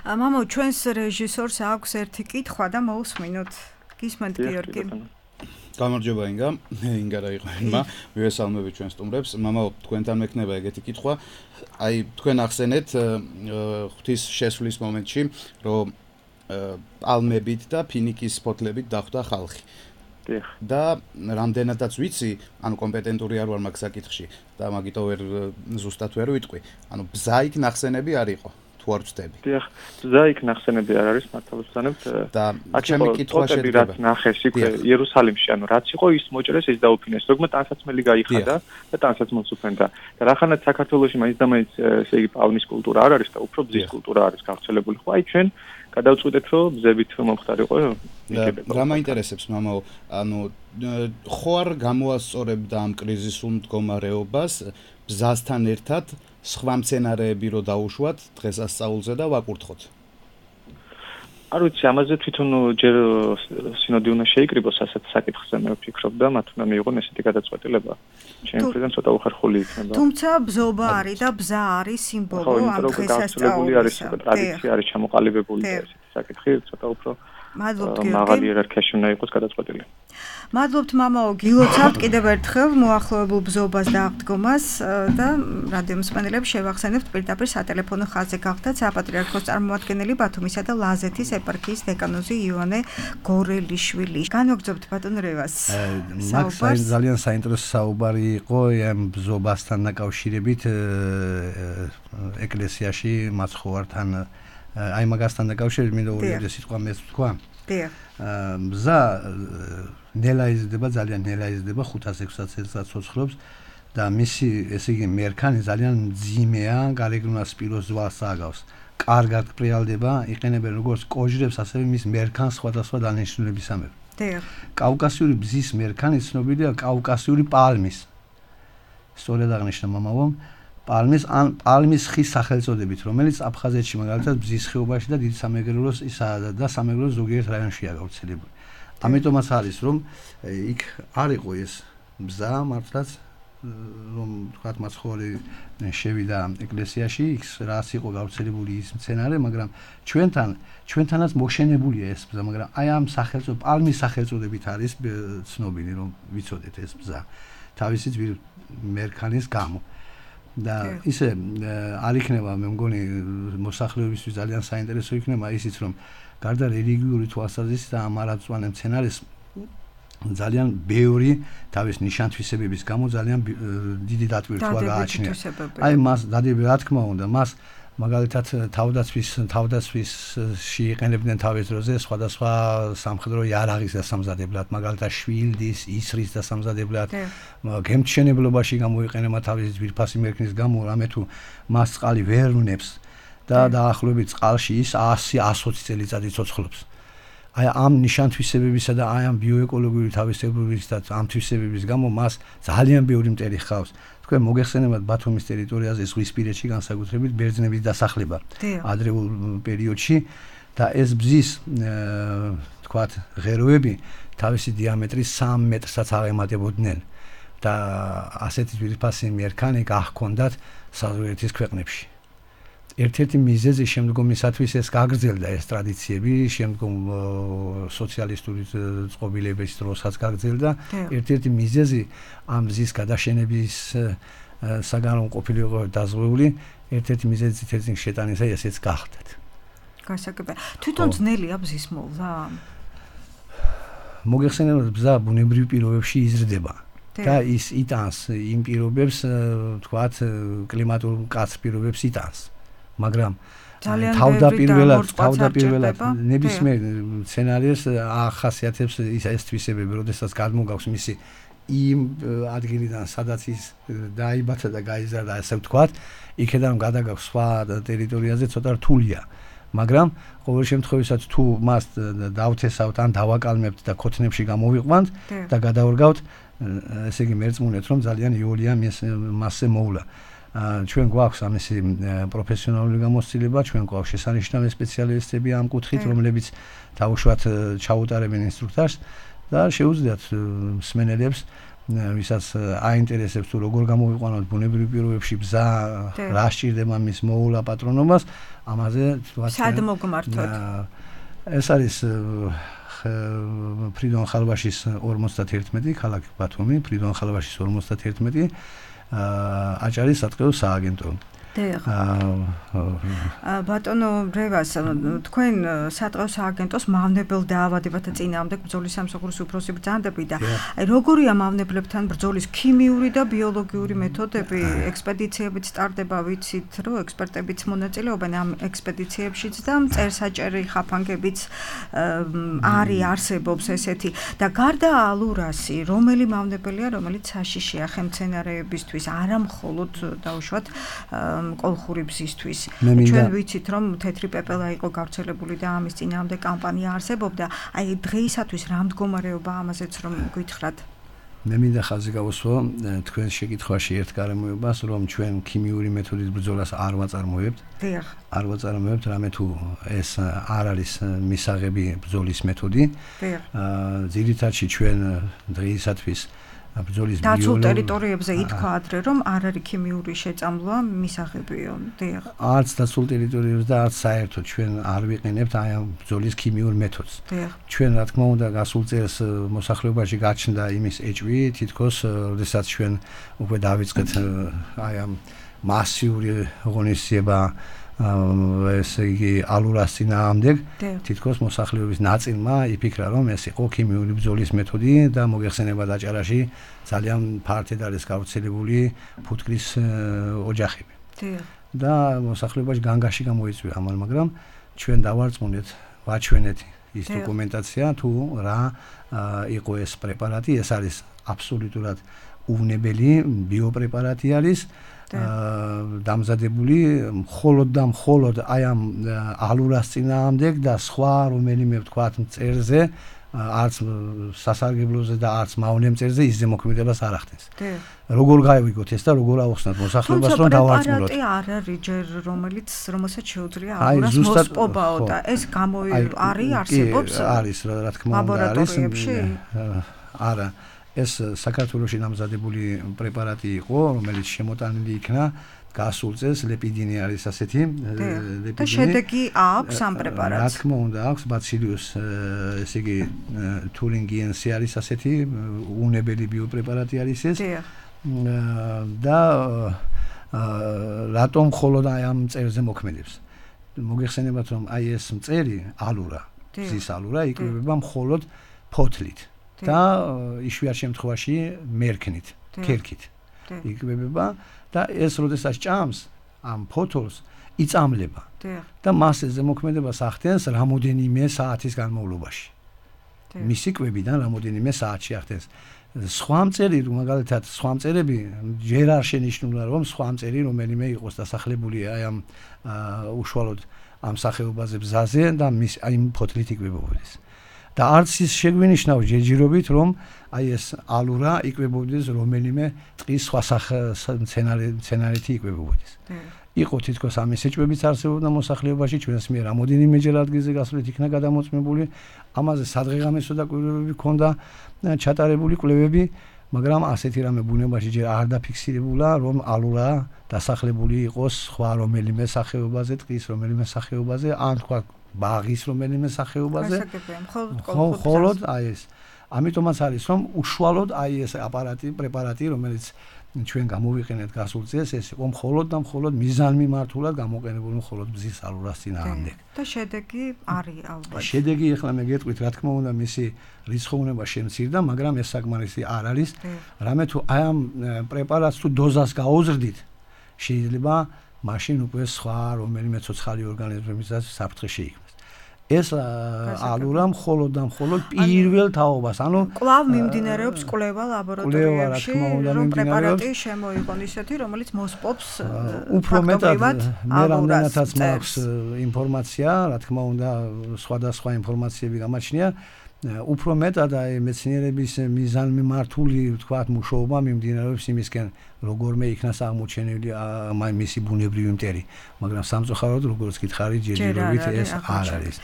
მამო, ჩვენს რეჟისორს აქვს ერთი კითხვა და მოусმინოთ. გისმენთ გიორგი? გამარჯობა ინგა რა იყო მა მივესალმები ჩვენ სტუმრებს. მამაო, თქვენთან მექნება ეგეთი კითხვა. აი, თქვენ ახსენეთ ღვთის შესვლის მომენტში, რომ პალმებით და ფინიკის ფოთლებით დახვდა ხალხი. და რამდენადაც ვიცი, ანუ კომპეტენტური არ ვარ მაგ საკითხში და მაგითო ვერ ზუსტად ვერ ვიტყვი. ანუ ბზა იქ ნახსენები არ იყო. არ ვწდები. დიახ, ბზა იქ ნახსენები არ არის, მართალ ვსწანებთ. და ჩემი კითხვა შედგება. რაც ნახეს იქ იერუსალიმში, ანუ რაც იყო ის მოჭრეს, ის დაუფინეს. ზოგმა ტანსაცმელი გაიხადა და ტანსაცმელს უფენდა. და რახანაც საქართველოში მაინც და მაინც ესე იგი პალმის კულტურა არ არის და უფრო ბზის კულტურა არის გავრცელებული. ხო, აი ჩვენ გადავწყვიტეთ, რომ ბზებით მომხდარიყო. რა მაინტერესებს მამაო, ანუ ხო არ გამოასწორებდა ამ კრიზისულ მდგომარეობას ბზასთან ერთად სხვა მცენარეები რო დაუშვათ დღესასწაულზე და ვაკურთხოთ. არ ვიცი, ამაზე თვითონ ჯერ სინოდი უნდა შეიკრიბოს ასეთ საკითხზე, მე ვფიქრობ და მათ უნდა მიიღონ ესეთი გადაწყვეტილება. ჩემი მხრიდან ცოტა უხერხული იქნება. თუმცა ბზობა არის და ბზა არის სიმბოლო ამ დღესასწაულისა. ტრადიცია არის ჩამოყალიბებული და ესეთი საკითხი ცოტა უფრო მაღალი იერარქიაში უნდა იყოს გადაწყვეტილი. მადლობთ მამაო, გილოცავთ კიდევ ერთხელ მოახლოებულ ბზობას და აღდგომას და რადიო მსმენელებს შევახსენებთ პირდაპირ სატელეფონო ხაზზე გახდათ საპატრიარქოს წარმომადგენელი ბათუმისა და ლაზეთის ეპარქიის დეკანოზი იოანე გორელიშვილი. განვაგრძობთ ბატონ რევას. მაქვს ძალიან საინტერესო საუბარი იყო ამ ბზობასთან დაკავშირებით ეკლესიაში მაცხოვართან აი მაგასთან დაკავშირებით მინდა ორი სიტყვა მეც თქვა. ბზა ნელა იზრდება, ძალიან ნელა იზრდება 500-600 წელს ცოცხლობს და მისი ესე იგი მერქანი ძალიან მძიმეა, გარეგნულად სპილოს ზვალს აგავს. კარგად პრიალდება, იყენებენ როგორც კოჟრებს, ასევე მის მერქანს სხვადასხვა დანიშნულებისამებრ. კავკასიური ბზის მერქანი ცნობილია კავკასიური პალმის. სწორედ აღნიშნა მამაო, პალმის ხის სახელწოდებით, რომელიც აფხაზეთში მაგალითად ბზის ხეობაში და დიდ სამეგრელოს და სამეგრელოს ზოგიერთ რაიონშია გავრცელებული. ამიტომაც არის რომ იქ არ იყო ეს ბზა მართლაც რომ თქვათ მაცხოვარი შევიდა ეკლესიაში, იქ რაც იყო გავრცელებული ის მცენარე, მაგრამ ჩვენთანაც მოშენებულია ეს ბზა, მაგრამ აი ამ სახელწოდებით, პალმის სახელწოდებით არის ცნობილი რომ ვიცოდეთ ეს ბზა თავისი მერქანის გამო. და ისე არ იქნება, მე მგონი მოსახლეობისთვის ძალიან საინტერესო იქნება ისიც რომ გარდა რელიგიური თვალსაზრისით და ამარაწვანე მცენარეს ძალიან ბევრი თავის ნიშან-თვისებების გამო ძალიან დიდი დატვირთვა გააჩნია. აი მას დადები რა თქმა უნდა, მას მაგალითად თავდაცვისში იყენებდნენ თავის დროზე სხვადასხვა სამხედრო იარაღის დასამზადებლად, მაგალითად შვილდის, ისრის დასამზადებლად, გემთმშენებლობაში გამოიყენება თავის ძვირფასი მერქნის გამო, რამე თუ მას წყალი ვერ უნებს და დაახლოებით წყალში ის 100-120 წელიწადი ცოცხლობს. აი ამ ნიშანთვისებებისა და აი ამ ბიოეკოლოგიური თავისებურების და ამ თვისებების გამო მას ძალიან ბევრი მტერი ხავს. თქვენ მოგეხსენებათ ბათუმის ტერიტორიაზე ზღვისპირეთში განსაკუთრებით ბერძნების დასახლება ადრეულ პერიოდში და ეს ბზის თქვათ ღეროები თავისი დიამეტრის 3 მეტრსაც აღემატებოდნენ და ასეთი ძვირფასი მერქანი გახქონდათ საზღვარეთის ქვეყნებში. ერთ-ერთი მიზეზი შემდგომისათვის ეს გაგრძელდა ეს ტრადიციები, შემდგომ სოციალისტური წყობილების დროსაც გაგრძელდა. ერთ-ერთი მიზეზი ამ მზის გადაშენების საგანო ყოფილიყო დაზღვეული, ერთ-ერთი მიზეზი თეთრ შეტანისა ესეც გახდათ. გასაგებია. თვითონ ძნელია ბზის მოვლა? მოგეხსენებათ, ბზა ბუნებრივ პირობებში იზრდება. და ის იტანს იმ პირობებს, თქვათ, კლიმატურ მკაცრ პირობებს იტანს. მაგრამ თავდაპირველად ნებისმიერ სცენარიებს ახასიათებს ეს თვისებები, როდესაც გადმოგავს მისი იმ ადგილიდან, სადაც ის დაიბადა და გაიზარდა, ასე ვთქვათ, იქიდან გადაგავს სხვა ტერიტორიაზე ცოტა რთულია. მაგრამ ყოველ შემთხვევაში თუ მას დავთესავთ ან დავაკალმებთ და ქოთნებში გამოვიყვანთ და გადავრგავთ, ესე იგი მერწმუნეთ, რომ ძალიან იოლია მასზე მოვლა. ჩვენ გვაქვს ამისი პროფესიონალური გამოცდილება, ჩვენ გვაქვს შესანიშნავი სპეციალისტები ამ კუთხით, რომლებიც დაუშვათ ჩაუტარებენ ინსტრუქტაჟს და შეუძლიათ მსმენელებს, ვისაც აინტერესებს თუ როგორ გამოვიყვანოთ ბუნებრივ პირობებში ბზა, რა სჭირდება მის მოულა პატრონობას, ამაზე სად მოგმართოთ? ეს არის ფრიდონ ხალვაშის 51, ქალაქი ბათუმი, ფრიდონ ხალვაშის 51 აჭარის სატყეო სააგენტო. ბატონო რევას, თქვენ სატყეო სააგენტოს მავნებელ დაავადებათა წინააღმდეგ ბრძოლის სამსახურის უფროსი ბრძანდები და როგორია მავნებლებთან ბრძოლის ქიმიური და ბიოლოგიური მეთოდები? ექსპედიციებიც ტარდება, ვიცით, რომ ექსპერტებიც მონაწილეობენ ამ ექსპედიციებშიც და მწერსაჭერი ხაფანგებიც არსებობს ესეთი. და გარდა ალურასი, რომელი მავნებელია, რომელიც საშიშია ხემცენარეებისთვის, არა მხოლოდ დაუშვათ კოლხური ბზისთვის. ჩვენ ვიცით, რომ თეთრი პეპელა იყო გავრცელებული და ამის წინააღმდეგ კამპანია არსებობდა. აი დღეისათვის რა მდგომარეობა ამაზეც რომ გითხრათ? მე მინდა ხაზი გავუსვა თქვენ შეკითხვაში ერთ გარემოებას, რომ ჩვენ ქიმიური მეთოდით ბრძოლას არ ვაწარმოებთ. არ ვაწარმოებთ, რამე თუ ეს არ არის მისაღები ბრძოლის მეთოდი. ძირითადში ჩვენ დღეისათვის ბრძოლის დაცულ ტერიტორიებზე ითქვა ადრე, რომ არ არის ქიმიური შეწამლვა მისაღებიო. არც დაცულ ტერიტორიებზე და არც საერთოდ ჩვენ არ ვიყენებთ აი ამ ბრძოლის ქიმიურ მეთოდს. ჩვენ რა თქმა უნდა გასულ წელს მოსახლეობაში გაჩნდა იმის ეჭვი, თითქოს როდესაც ჩვენ უკვე დავიწყეთ აი ამ მასიური ღონისძიება ესე იგი ალურას წინააღმდეგ, თითქოს მოსახლეობის ნაწილმა იფიქრა, რომ ეს იყო ქიმიური ბრძოლის მეთოდი და მოგეხსენებათ აჭარაში ძალიან ფართედ არის გავრცელებული ფუტკრის ოჯახები. და მოსახლეობაში განგაში გამოიწვია ამან, მაგრამ ჩვენ დავარწმუნეთ, ვაჩვენეთ ის დოკუმენტაცია თუ რა იყო ეს პრეპარატი, ეს არის აბსოლუტურად უვნებელი ბიოპრეპარატი არის. დამზადებული მხოლოდ აი ამ ალურას წინააღმდეგ და სხვა რომელიმე ვთქვათ მწერზე, არც სასარგებლოზე და არც მავნე მწერზე ისე მოქმედებას არ ახდენს. როგორ გავიგოთ ეს და როგორ ავხსნათ მოსახლეობას, რომ დავარწმუნოთ? პრეპარატი არ არის ჯერ რომელსაც შეუძლია ალურას მოსპობაო და ეს არსებობს? არის რა თქმა უნდა არის. არა ეს საქართველოში დამზადებული პრეპარატი იყო, რომელიც შემოტანილი იქნა გასულ წელს, ლეპიდინი არის ასეთი, და შედეგი აქვს ამ პრეპარატს. რა თქმა უნდა აქვს, ბაცილიუს, ესე იგი თურინგიენსი არის ასეთი, უვნებელი ბიოპრეპარატი არის ეს. და რატომ მხოლოდ აი ამ მწერზე მოქმედებს? მოგეხსენებათ, რომ აი ეს მწერი ალურა, მზის ალურა იკვებება მხოლოდ ფოთლით. და იშვიათ შემთხვევაში მერქნით, ქერქით იკვებება და ეს როდესაც ჭამს ამ ფოთოლს, იწამლება და მას ზემოქმედებას ახდენს რამოდენიმე საათის განმავლობაში. მისი კვებიდან რამოდენიმე საათში ახდენს. სხვა მწერი, მაგალითად, სხვა მწერები ჯერ არ შენიშნულა, რომ სხვა მწერი რომელიმე იყოს დასახლებული აი ამ უშუალოდ ამ სახეობაზე ბზაზე და აი ფოთლით იკვებებოდეს. და არც ის შეგვინიშნავს ჯერჯერობით, რომ აი ეს ალურა იკვებებოდეს რომელიმე ტყის სხვა მცენარეთა იკვებებოდეს. იყო თითქოს ამის ეჭვებიც არსებობდა მოსახლეობაში, ჩვენს მიერ რამოდენიმეჯერ ადგილზე გასვლით იქნა გადამოწმებული, ამაზე სადღეღამისო დაკვირვებები ჰქონდა ჩატარებული კვლევები, მაგრამ ასეთი რამე ბუნებაში ჯერ არ დაფიქსირებულა, რომ ალურა დასახლებული იყოს სხვა რომელიმე სახეობაზე, ტყის რომელიმე სახეობაზე, ან თქვა ბაღის რომელიმე სახეობაზე. მხოლოდ აი ეს. ამიტომაც არის, რომ უშუალოდ აი ეს პრეპარატი, რომელიც ჩვენ გამოვიყენეთ გასულ წელს, ეს იყო მხოლოდ და მხოლოდ მიზანმიმართულად გამოყენებული მხოლოდ ბზის ალურას წინააღმდეგ. და შედეგი არის ალბათ. შედეგი ახლა მე გეტყვით, რა თქმა უნდა, მისი რიცხოვნება შემცირდა, მაგრამ ეს საკმარისი არ არის. რამე თუ აი ამ პრეპარატს თუ დოზას გაუზრდით, შეიძლება მაშინ უკვე სხვა რომელიმე ცოცხალი ორგანიზმებისაც საფრთხე შეიქმნას. ეს ალურა მხოლოდ და მხოლოდ პირველ თაობას, ანუ კვლავ მიმდინარეობს კვლევა ლაბორატორიებში, რომ პრეპარატი შემოიღონ ისეთი, რომელიც მოსპობს უფრო მეტად მე რამდენადაც მაქვს ინფორმაცია, რა თქმა უნდა, სხვადასხვა ინფორმაციები გამაჩნია, უფრო მეტად აი მეცნიერების მიზანმიმართული, თქვათ, მუშაობა მიმდინარეობს იმისკენ, როგორმე იქნას აღმოჩენილი მისი ბუნებრივი მტერი, მაგრამ სამწუხაროდ, როგორც გითხარით, ჯერჯერობით ეს არ არის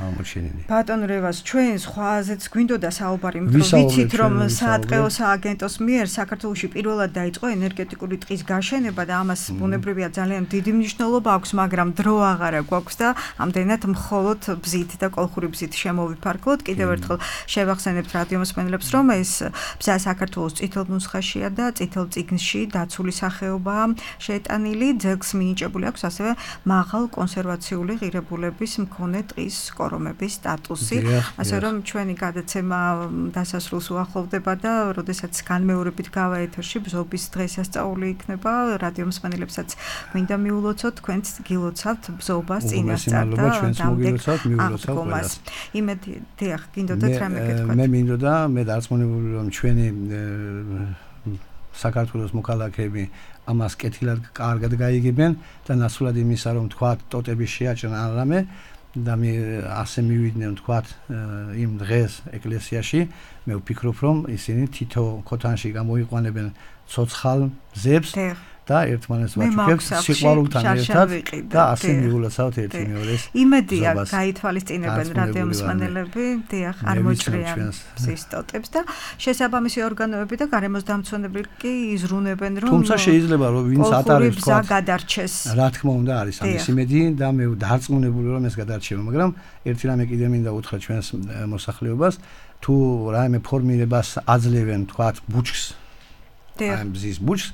აღმოჩენილი. ბატონ რევას, ჩვენ სხვაზეც გვინდოდა საუბარი, ვიცით, რომ საატყეო სააგენტოს მიერ საქართველოში პირველად დაიწყო ენერგეტიკული ტყის გაშენება და ამას ბუნებრივია ძალიან დიდი მნიშვნელობა აქვს, მაგრამ დრო აღარა გვაქვს და ამდენად მხოლოდ ბზით და კოლხური ბზით შემოვიფარგლოთ. კიდევ ერთხელ შევახსენებთ რადიომსმენელებს, რომ ეს ბზა საქართველოს წითელ ნუსხაშია და წითელ წიგნში დაცული სახეობაა შეტანილი, ძეგლს მინიჭებული აქვს ასევე მაღალ კონსერვაციული ღირებულების მქონე ტყის კორომების სტატუსი, ასე რომ ჩვენი გადაცემა დასასრულს უახლოვდება და როდესაც განმეორებით გავა ეთერში ბზობის დღესასწაული იქნება, რადიომსმენელებსაც მინდა მიულოცოთ, თქვენც გილოცავთ ბზობას წინასწარ და აღდგომას. იმედი, დიახ, გინდოდათ რამე გეთქვათ? მე მინდოდა, მე დარწმუნებული რომ ჩვენი საქართველოს მოქალაქეები ამას კეთილად კარგად გაიგებენ და ნაცვლად იმისა, რომ თქვათ ტოტები შეაჭრან ან რამე და მე ასე მივიდნენ თქვათ იმ დღეს ეკლესიაში, მე ვფიქრობ, რომ ისინი თითო ქოთანში გამოიყვანებენ ცოცხალ ზებს და ერთმანეთს ვაჩუქებთ სიყვარულთან ერთად და ასე მიულოცავთ ერთი მეორეს. იმედია გაითვალისწინებენ რადიომსმენელები, დიახ, არ მოჭრიან ბზის ტოტებს და შესაბამისი ორგანოები და გარემოს დამცველები კი იზრუნებენ, რომ თუმცა შეიძლება რომ ვინც ატარებს თქვათ გადარჩეს. რა თქმა უნდა არის ამის იმედი და მე დარწმუნებული რომ ეს გადარჩება, მაგრამ ერთი რამე კიდე მინდა უთხრა ჩვენს მოსახლეობას, თუ რაიმე ფორმირებას აძლევენ თქვათ ბუჩქს, აი ბზის ბუჩქს,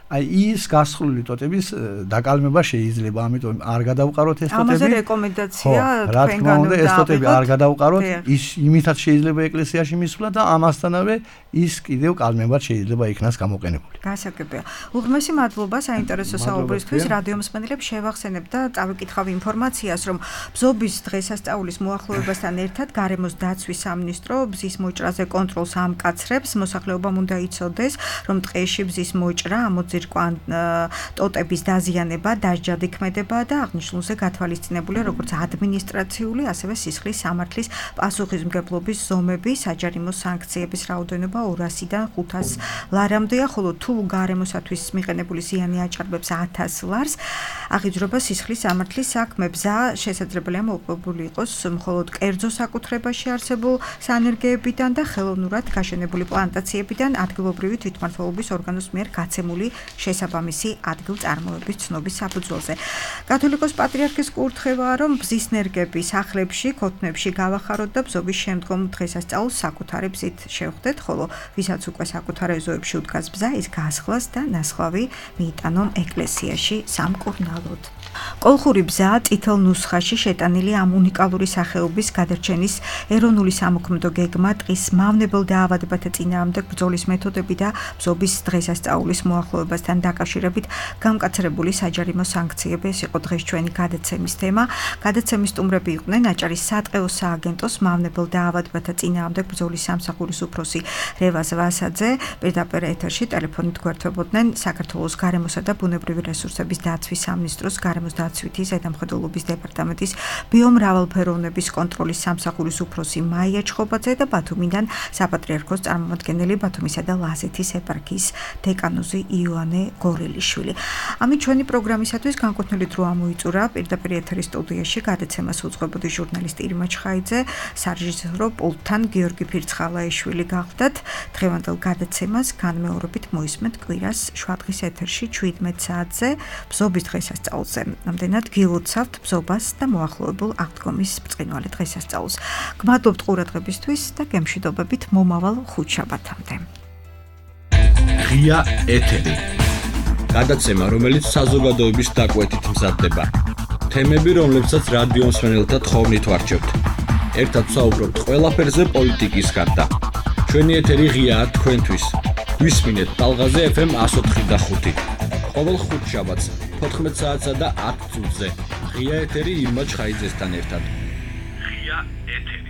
აი ის გასხლული ტოტების დაკალმება შეიძლება, ამიტომ არ გადავყაროთ ეს ტოტები. ამაზე რეკომენდაცია თქვენგანვე უნდა ეს ტოტები არ გადავყაროთ, ის იმითაც შეიძლება ეკლესიაში მისვლა და ამასთანავე ის კიდევ კალმებად შეიძლება იქნას გამოყენებული. გასაგებია. უღრმესი მადლობა საინტერესო საუბრისთვის. რადიომსმენელებს შევახსენებთ და წავიკითხავ ინფორმაციას, რომ ბზობის დღესასწაულის მოახლოებასთან ერთად გარემოს დაცვის სამინისტრო ბზის მოჭრაზე კონტროლს ამკაცრებს. მოსახლეობამ უნდა იცოდეს, რომ ტყეში ბზის მოჭრა ზირკვან ტოტების დაზიანება დასჯად იქმედება და აღნიშნულზე გათვალისწინებულია როგორც ადმინისტრაციული, ასევე სისხლის სამართლის პასუხისმგებლობის ზომები, საჯარიმო სანქციების რაოდენობა 200-დან 500 ლარამდეა, ხოლო თუ გარემოსათვის მიყენებული ზიანი აჭარბებს 1000 ლარს, აღიძრება სისხლის სამართლის საქმე. ბზა შესაძლებელია მოპოვებული იყოს მხოლოდ კერძო საკუთრებაში არსებულ სანერგეებიდან და ხელოვნურად გაშენებული პლანტაციებიდან ადგილობრივი თვითმმართველობის ორგანოს მიერ გაცემული შესაბამისი ადგილწარმოების ცნობის საფუძველზე. კათოლიკოს პატრიარქის კურთხევაა, რომ ბზის ნერგები სახლებში, ქოთნებში გავახაროთ და ბზობის შემდგომ დღესასწაულს საკუთარი ბზით შევხვდეთ, ხოლო ვისაც უკვე საკუთარ ეზოებში უდგას ბზა, ის გასხლას და ნასხლავი მიიტანონ ეკლესიაში სამკურნალოდ. კოლხური ბზა წითელ ნუსხაში შეტანილი ამ უნიკალური სახეობის გადარჩენის ეროვნული სამოქმედო გეგმა ტყის მავნებელ დაავადებათა წინააღმდეგ ბრძოლის მეთოდები და ბზობის დღესასწაულის მოახლოებას განვითარებასთან დაკავშირებით გამკაცრებული საჯარიმო სანქციები. ეს იყო დღეს ჩვენი გადაცემის თემა. გადაცემის სტუმრები იყვნენ აჭარის სატყეო სააგენტოს მავნებელ დაავადებათა წინააღმდეგ ბრძოლის სამსახურის უფროსი რევაზ ვასაძე. პირდაპირ ეთერში ტელეფონით გვერდებოდნენ საქართველოს გარემოსა და ბუნებრივი რესურსების დაცვის სამინისტროს გარემოს დაცვითი ზედამხედველობის დეპარტამენტის ბიომრავალფეროვნების კონტროლის სამსახურის უფროსი მაია ჩხობაძე და ბათუმიდან საპატრიარქოს წარმომადგენელი ბათუმისა და ლაზეთის ეპარქიის დეკანოზი იოანე გორელიშვილი. ამით ჩვენი პროგრამისათვის განკუთვნილი დრო ამოიწურა. პირდაპირ ეთერის სტუდიაში გადაცემას უძღვებოდი ჟურნალისტი ირმა ჩხაიძე, სარეჟისორო პულტთან გიორგი ფირცხალაიშვილი გახლდათ. დღევანდელ გადაცემას განმეორებით მოისმენთ კვირას შვადღის ეთერში 17 საათზე ბზობის დღესასწაულზე. ამდენად გილოცავთ ბზობას და მოახლოებულ აღდგომის ბრწყინვალე დღესასწაულს. გმადლობთ ყურადღებისთვის და გემშვიდობებით მომავალ ხუთშაბათამდე. ღია ეთერი. გადაცემა, რომელიც საზოგადოების დაკვეთით მზადდება. თემები, რომლებსაც რადიო მსმენელთა თხოვნით ვარჩევთ. ერთად ვსაუბრობთ ყველაფერზე პოლიტიკის გარდა. ჩვენი ეთერი ღიაა თქვენთვის. გვისმინეთ ტალღაზე FM 104.5. ყოველ ხუთშაბათს 14 საათსა და 10 წუთზე. ღია ეთერი ირმა ჩხაიძესთან ერთად. ღია ეთერი.